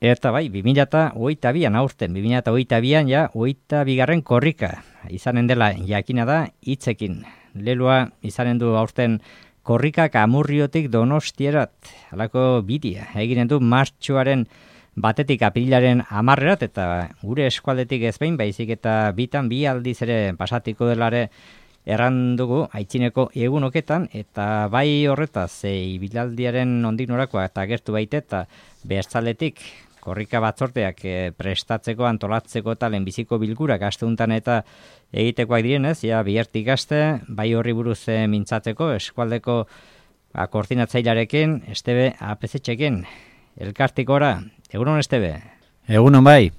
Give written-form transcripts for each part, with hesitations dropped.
Eta bai, 2022an aurten, 2022an ja, 22. korrika izanen dela jakina da hitzekin. Leloa izanen du aurten korrikak Amurriotik Donostierat, halako bidea. Eginen du martxoaren batetik apirilaren 10erat eta gure eskualdetik ez behin, baizik eta bitan bi aldiz ere pasatiko delare erran dugu aitzineko egunoketan, eta bai horretaz, ibilaldiaren nondik norakoa eta gertu baite eta bestaldetik korrika batzorteak prestatzeko, antolatzeko eta lehenbiziko bilgurak asteuntan eta egitekoak direnez, ja bihartik aste, bai horri buruz mintzatzeko eskualdeko koordinatzailearekin, Estebe APZ-txekin, elkartikora, egunon Estebe? Egunon bai.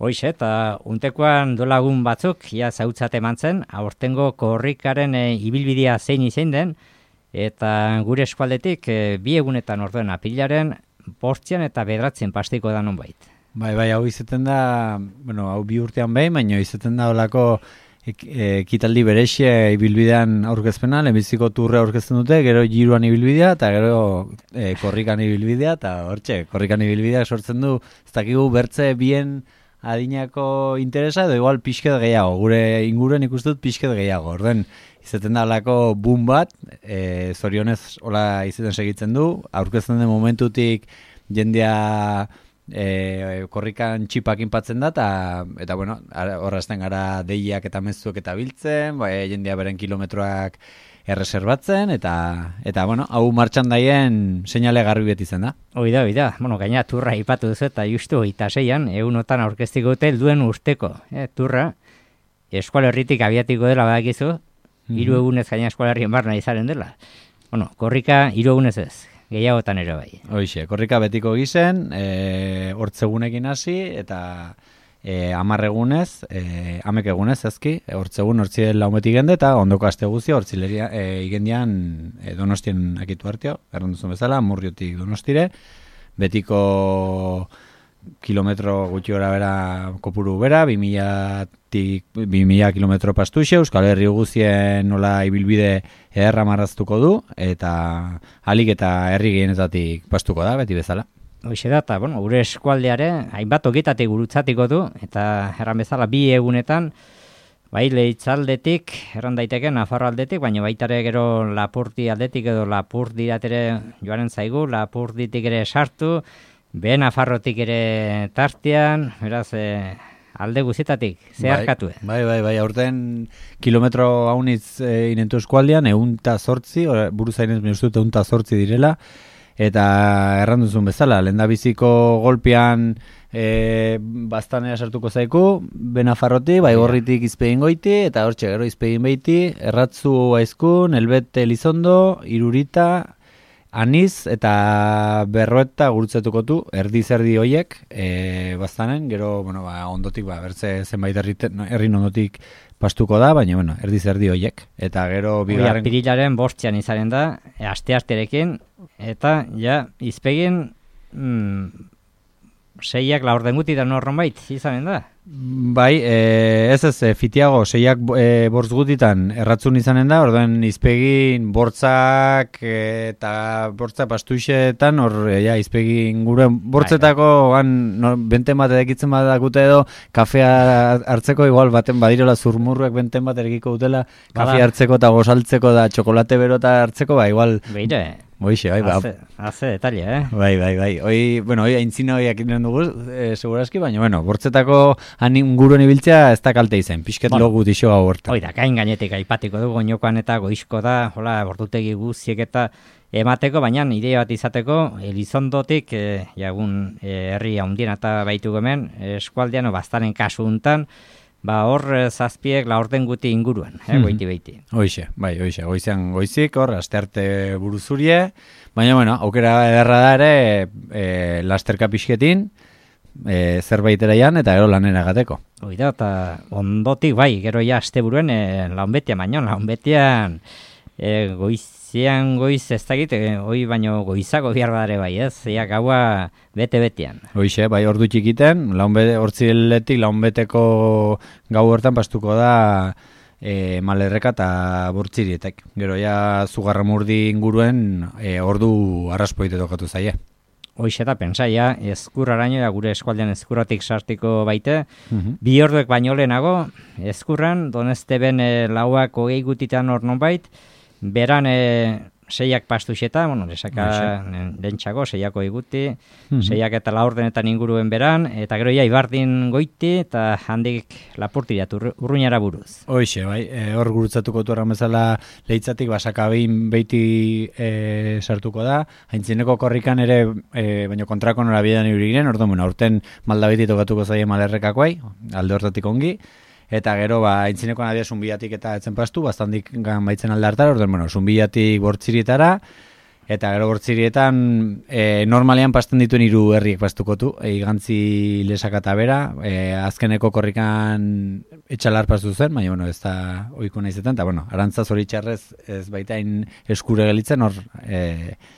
Hoize, eta untekoan dolagun batzuk, ja zautzat eman zen, aurtengo korrikaren ibilbidea zein izein den, eta gure eskualdetik bi egunetan orduen apilaren, 5 eta 9 pastiko da nonbait. Bai, hau izaten da, bueno, hau bi urtean behin, baina izaten da olako ekitaldi berexe ibilbidean aurkezpena, lehenbiziko turre aurkezten dute, gero giroan ibilbidea, eta gero korrikan ibilbidea, eta hortxe, korrikan ibilbidea sortzen du, ez dakigu bertze bien adinako interesa, edo igual pixket gehiago, gure inguruen ikustut pixket gehiago, orden izaten da olako boom bat, zorionez hola izaten segitzen du, aurkezten den momentutik jendea korrikan txipak inpatzen da, eta bueno, horrazten gara deiak eta mezuek eta biltzen, jendea beren kilometroak erreserbatzen, eta bueno, hau martxan daien seinale garbi beti zen da. Oida, bueno, gaina turra ipatu duzu eta justu 26an, egunotan aurkeztiko dute duen urteko, turra, eskualerritik abiatiko dela badakizu, 3 egunez gaina eskualerrien barna izaren dela. Bueno, korrika 3 egunez ez, gehiagotan ere bai. Hoixe, korrika betiko gizen, hortzegunekin hasi, eta 10 egunez, 10 egunez ezki, hortzegun hortzien laumetik gende, eta ondoko aste guztia hortzileria igendian Donostien akitu hartio, erranduzun bezala, Amurriotik Donostire, betiko kilometro gutxi gora bera kopuru bera, 2000 kilometro pastuxe, Euskal Herri guztien nola ibilbide ederra marraztuko du, eta alik eta herri gehienetatik pastuko da, beti bezala. Hoxe da, eta bueno, gure eskualdeare, hainbat ogietatik gurutzatiko du, eta erran bezala 2 egunetan, bai Leitzaldetik, erran daiteke Nafarro aldetik, baina baitare gero Lapurdi aldetik edo Lapurdirat ere joaren zaigu, Lapurditik ere sartu, Nafarrotik ere tartean, beraz, alde guztietatik, zeharkatu. Bai, aurten kilometro haunitz inentu eskualdean, 108, buruzainez minustut 108 direla, eta erranduzun bezala, lehendabiziko golpean bastanea sartuko zaiku, Benafarrotik, bai gorritik izpegin goiti, eta hortxe gero izpegin beiti, Erratzu Aizkun, Elbete Elizondo, Irurita, Aniz eta Berroeta gurutzetuko du, erdi-zerdi hoiek, bastanen, gero, bueno, ondotik, bertze zenbait herrin ondotik pastuko da, baina, bueno, erdi-zerdi hoiek. Eta gero bigarren... Apirilaren 5 izaren da, aste-asterekin, eta, ja, izpegin, 6ak laurden gutitan norronbait izanen da? Bai, ez fitiago, 6ak bortz gutitan erratzun izanen da, orduan izpegin bortzak eta bortzak pastuixetan, izpegin gure bortzetako benten bat edekitzen bat dakute edo, kafea hartzeko, igual baten badirola zurmurruek benten bat erekiko dutela, kafea hartzeko eta gozaltzeko da txokolate berota hartzeko, igual... Beire, Hoixe, bai, haze detalle, Bai. Hoi aintzina hoiak inen dugu, segurazki, baina, bueno, bortzetako inguruen ibiltzea ez da kalte izen, pixket logu dixo gau horta. Hoi da, gain gainetik aipatiko dugu, goinokoan eta goizko da, hola, bordutegi guztiek eta emateko, baina ideia bat izateko, Elizondotik, jagun herri handien eta baitu hemen, eskualdean, bastaren kasu untan, hor zazpiek laurden guti inguruan, goiti beiti. Hoixe, goizean goizik, hor, astearte buruzurie, baina, bueno, aukera ederra da ere, lasterka pixketin, zerbait eraian, eta gero lanera gateko. Oida, eta ondotik, gero ja asteburuen launbetian, baina launbetian goiz ez dakit, hoi baino goizako biardare bai, ez? Ia gaua bete-betean. Hoixe, bai ordu txikiten, hortziletik launbeteko gau hortan pastuko da Malerreka eta Bortzirietek. Gero ja Zugarramurdi inguruen ordu arraspoite tokatu zaie. hoize da pentsaia, ezkurraraino, gure eskualdean ezkurratik sartiko baite, 2 orduek baino lehenago, ezkurran, donezteben lauak 20 gutitan hor nonbait, beran 6ak pastuxeta, lesaka lentsago, 6ako iguti, 6ak eta 4 ordenetan inguruen beran, eta gero ibardin goiti, eta handik lapurtirat urruñara buruz. Hoixe, bai, hor gurutzatuko tuarran bezala leitzatik basakabein beiti sartuko da, haintzineko korrikan ere, baino kontrako norabidean ibirigiren, orduan, aurten maldabeti tokatuko zaie malerrekakoai, alde hortatik ongi, eta gero, aintzineko nadia zunbiatik eta etzen pastu, bastandik baitzen alde hartara, orduan, zunbiatik bortzirietara, eta gero bortzirietan normalean pasten dituen 3 herriek pastukotu, igantzi Lesaka eta bera, azkeneko korrikan etxalar pastu zen, baina, ez da oiko naizetan, eta, arantza zoritxarrez ez baitain eskure gelitzen, hor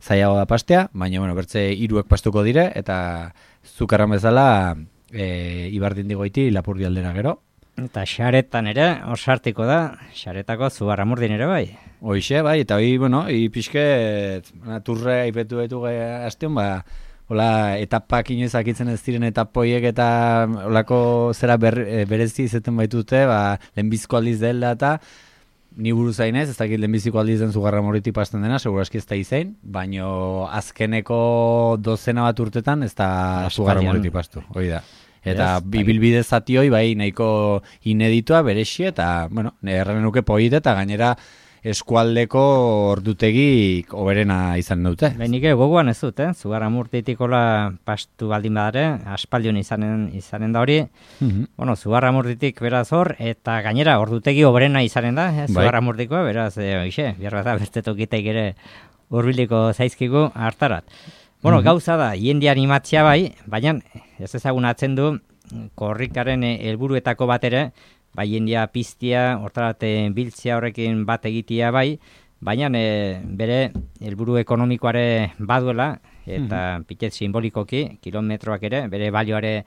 zailago da pastea, baina, bertze 3ek pastuko dire, eta zukarran bezala ibardin digoiti Lapurdi aldera gero. Eta xaretan ere, hor sartiko da, xaretako Zugarramurdin ere bai. Hoixe, bai, eta pixket, turre aipetu betu hastean, hola, etapak inoiz akitzen ez diren etapoiek eta holako zera berezi izaten baitute, lehenbizko aldiz dela eta ni buruz zainez, ez dakit lehenbiziko aldiz den Zugarramurditik pasten dena, seguraski ez da izain, baino azkeneko 12 bat urtetan ez da Zugarramurditik pastu, hoi da. Eta bibilbide zatioi bai nahiko ineditua berexi eta, erran nuke poite eta gainera eskualdeko ordutegik oberena izan dute. Nik gogoan ez dut, Zugarramurditik hola pastu baldin badare, aspaldion izanen da hori. Zugarramurditik beraz hor, eta gainera ordutegi oberena izanen da, Zugarramurdikoa, beraz, behar bat da, beste tokitek ere hurbiliko zaizkigu hartarat. Gauza da, jende animatzia bai, baina ez ezagunatzen du korrikaren helburuetako bat ere, jendea piztia, hortarat biltzia horrekin bat egitea bai, baina bere helburu ekonomikoare baduela, eta pitet simbolikoki, kilometroak ere, bere balioare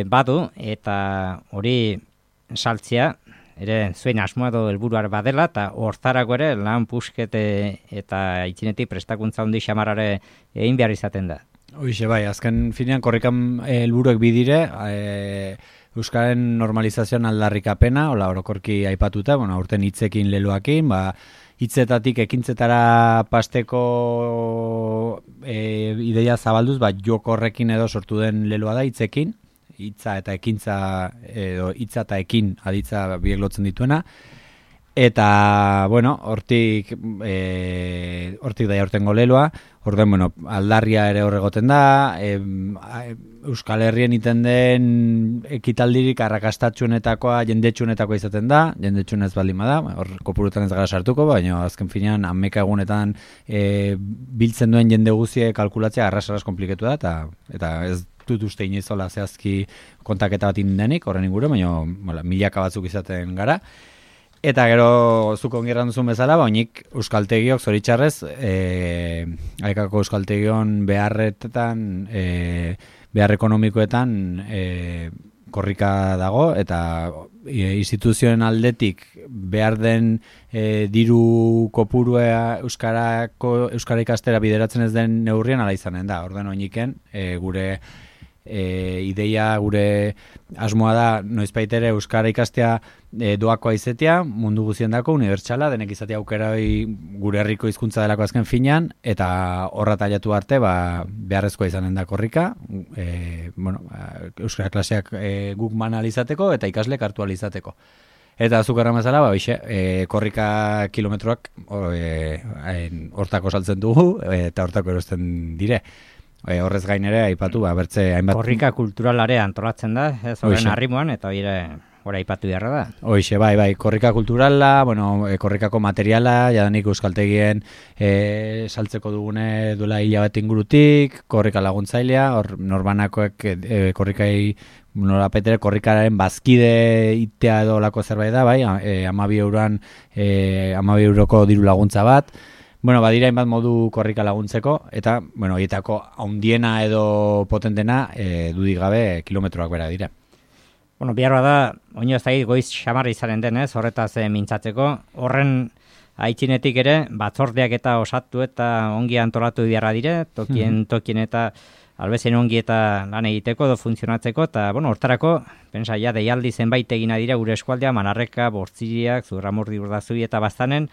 badu, eta hori saltzea, ere zuen asmoa edo helburuar badela, eta hortarako ere lan puskete eta itzinetik prestakuntza handi xamarrare egin behar izaten da. Hoixe bai, azken finean korrikan helburuek bidire, Euskaren normalizazioan aldarrikapena, hola orokorki aipatuta, aurten hitzekin leloakin, hitzetatik ekintzetara pasteko ideia zabalduz, joko horrekin edo sortu den leloa da hitzekin, hitza eta ekintza edo hitza eta ekin aditza biek lotzen dituena, eta hortik da aurtengo leloa, orden aldarria ere horregoten da, Euskal Herrien iten den ekitaldirik arrakastatxuenetakoa jendetxuenetakoa izaten da, jendetxuenez baldin bada, hor kopurutan ez gara sartuko, baina azken finean ameka egunetan biltzen duen jende guzie kalkulatzea arras kompliketu da, eta ez dut uste inoizola zehazki kontaketa bat indenik, horren inguru, baina milaka batzuk izaten gara. Eta gero zuko ongirran duzun bezala, nik euskaltegiok zoritxarrez, Aikako euskaltegion beharretan, behar ekonomikoetan korrika dago, eta instituzioen aldetik behar den diru kopurua euskara ikastera bideratzen ez den neurrian ala izanen da. Orden oiniken, gure ideia, gure asmoa da noizbaitere euskara ikastea doakoa izatea, mundu guztiendako, unibertsala, denek izatea aukerai gure herriko hizkuntza delako azken finean, eta horra taiatu arte beharrezkoa izanen da korrika, euskara klaseak guk mana alizateko eta ikaslek hartu alizateko. Eta azukarra mazala, korrika kilometroak hortako saltzen dugu eta hortako erosten dire. Horrez gain ere, aipatu, bertze hainbat... Korrika kulturalare antolatzen da, ez horren arrimoan, eta hori aipatu beharra da. Hoixe, bai, korrika kulturala, korrikako materiala, jadanik euskaltegien saltzeko dugune duela hilabete ingurutik, korrika laguntzailea, hor norbanakoek korrikai, norapetere korrikaren bazkide itea edo lako zerbait da, bai, 12 euroko diru laguntza bat, badira hainbat modu korrika laguntzeko, eta, horietako haundiena edo potentena dudik gabe kilometroak bera dira. Behar bada, oino ez da goiz xamarra izanen denez, horretaz mintzatzeko, horren aitzinetik ere, batzordeak eta osatu eta ongi antolatu beharra dire, tokien eta albezen ongi eta lan egiteko edo funtzionatzeko, eta, bueno, hortarako, pensa, ja, deialdi zenbait egina dira gure eskualdea, Manarreka, Bortziriak, Zurramurdi, Urdazui eta Baztanen,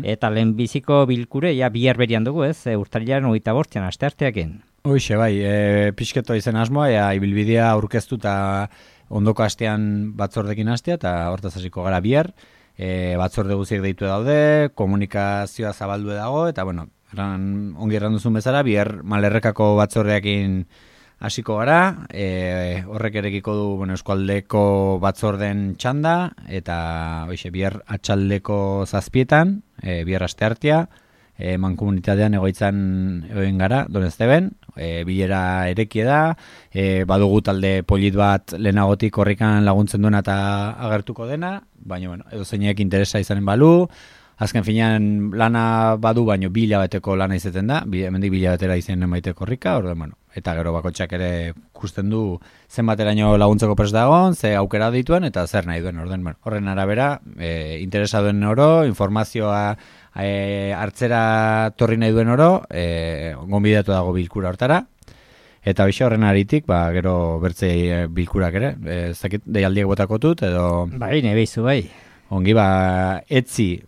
eta lehenbiziko bilkure, ja, bihar berian dugu, ez, urtarrilaren 25 astearteakin. Hoxe, bai, pixketo izen asmoa, ibilbidea aurkeztu eta ondoko astean batzordekin hastea, eta hortaz hasiko gara bihar, batzorde guziek deitu daude, komunikazioa zabaldu dago, eta, bueno, ongi erranduzun bezala, bihar Malerrekako batzordeakin hasiko gara, horrek erekiko du, bueno, eskualdeko batzorden txanda, eta hoxe, bihar atxaldeko 7:00, bihar asteartea, mankomunitatean egoitzan egoen gara, Donezteben, bilera erekie da, badugu talde polit bat lehenagotik korrikan laguntzen duena eta agertuko dena, baina, bueno, edo zeinek interesa izanen balu, azken finean lana badu, baino 2 hilabeteko lana izeten da, hemendik 2 hilabetera izanen maite korrika, bueno, eta gero bakotxak ere ikusten du zenbateraino laguntzeko prest dagoen, ze aukera dituen eta zer nahi duen, bueno, horren arabera, interesa duen oro, informazioa hartzera torri nahi duen oro, gonbidatu dago bilkura hortara, eta hoxe horren aritik, gero bertzei bilkurak ere, zakit deialdiek botakotut, edo... Bai, nebeizu, bai. Ongi, etzi,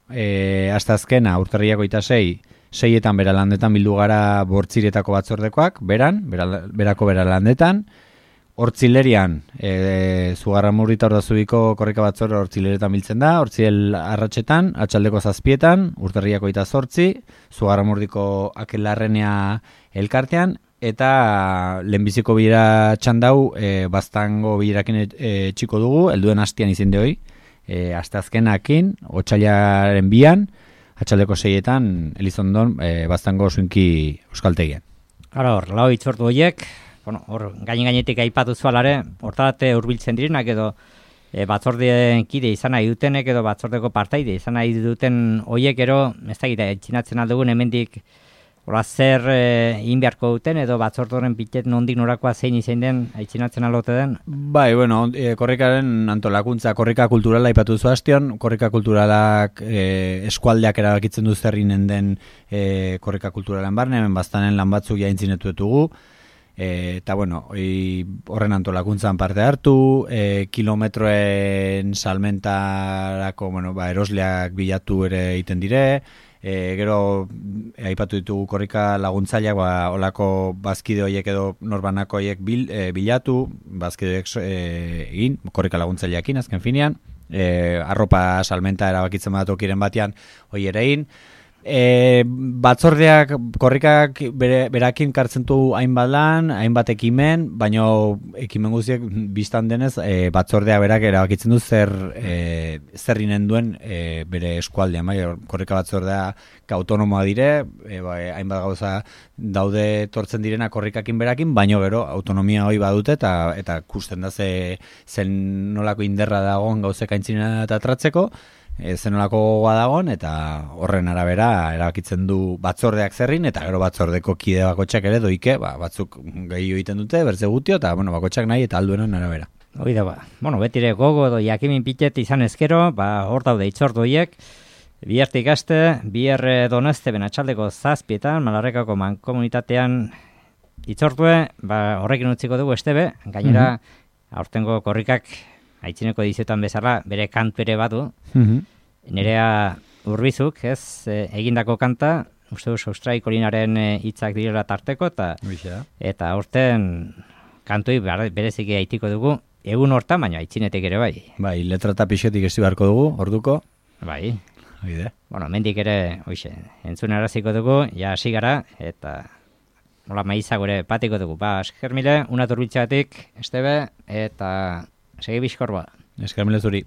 hasta azkena, urtarriako 6:00 beralandetan bildu gara Bortziretako batzordekoak, berako beralandetan, Hortzilerian, Zugarramurdi eta Ordazubiko korrika batzorde Hortzileretan biltzen da, Hortziel arratsetan, atxaldeko 7:00, urtarriako 28, Zugarramurdiko Akelarrenea elkartean, eta lehenbiziko bilera txandau, Baztango bilerakin txiko dugu, helduen hastian izin hoi, asteazkenakin, otsailaren 2, atxaldeko 6:00, Elizondon, Baztango Zuinki Euskaltegian. Ara hor, lau itzortu horiek, bueno, hor gainetik aipatu zualare, hortarate hurbiltzen direnak edo batzordeen kide izan nahi dutenek edo batzordeko partaide izan nahi duten horiek ero, ez da gira, etxinatzen aldugun hemendik hola zer egin beharko duten edo batzordoren pitet nondik norakoa zein izan den etxinatzen alote den? Bai, bueno, korrikaren antolakuntza, korrika kulturala aipatu zu hastion, korrika kulturalak eskualdeak erabakitzen du zerrinen den korrika kulturalen barne, hemen Baztanen lan batzuk jaintzinetu ditugu, eta bueno, horren antolakuntzan parte hartu, kilometroen salmentarako, bueno, erosleak bilatu ere egiten dire, gero aipatu ditugu korrika laguntzaileak, olako bazkide horiek edo norbanako horiek bilatu, bazkide egin, korrika laguntzaileakin azken finean, arropa salmenta erabakitzen batokiren batean hori ere egin, batzordeak, korrikak berakin kartzen du hainbat lan, hainbat ekimen, baino ekimen guztiak biztan denez batzordea berak erabakitzen du zerrinen duen bere eskualdean, bai, korrika batzordea autonomoa dire, hainbat gauza daude tortzen direna korrikakin berakin, baino gero autonomia hori badute eta kusten da zen nolako inderra dagoen gauzek aintzina eta tratzeko, zenolako gogoa dagoen, eta horren arabera erabakitzen du batzordeak zerrin, eta gero batzordeko kide bakotxak ere doike, batzuk gehiago egiten dute, bertze gutio, eta bueno, bakotxak nahi eta alduenen arabera. Hoi da, bueno, betire gogo edo jakimin pitet izan ezkero, hor daude itzortu horiek, bihartik aste, bihar Donezteben atxaldeko 7:00, Malarrekako mankomunitatean itzortue, horrekin utziko dugu estebe, gainera, aurtengo korrikak aitzineko edizioetan bezala, bere kantu ere badu, Nerea Urbizuk, ez, egindako kanta, uste duz Austraiko linaren hitzak direla tarteko, eta aurten kantoi bereziki aitiko dugu, egun hortan, baina aitzinetik ere bai. Bai, letra eta pixetik ezi beharko dugu, orduko. Bai. Oide. Bueno, mendik ere, entzun araziko dugu, ja hasi gara, eta nola maizago ere patiko dugu. Esker mile, una turbiltxatik, estebe, eta segi bizkorba. Esker mile zuri.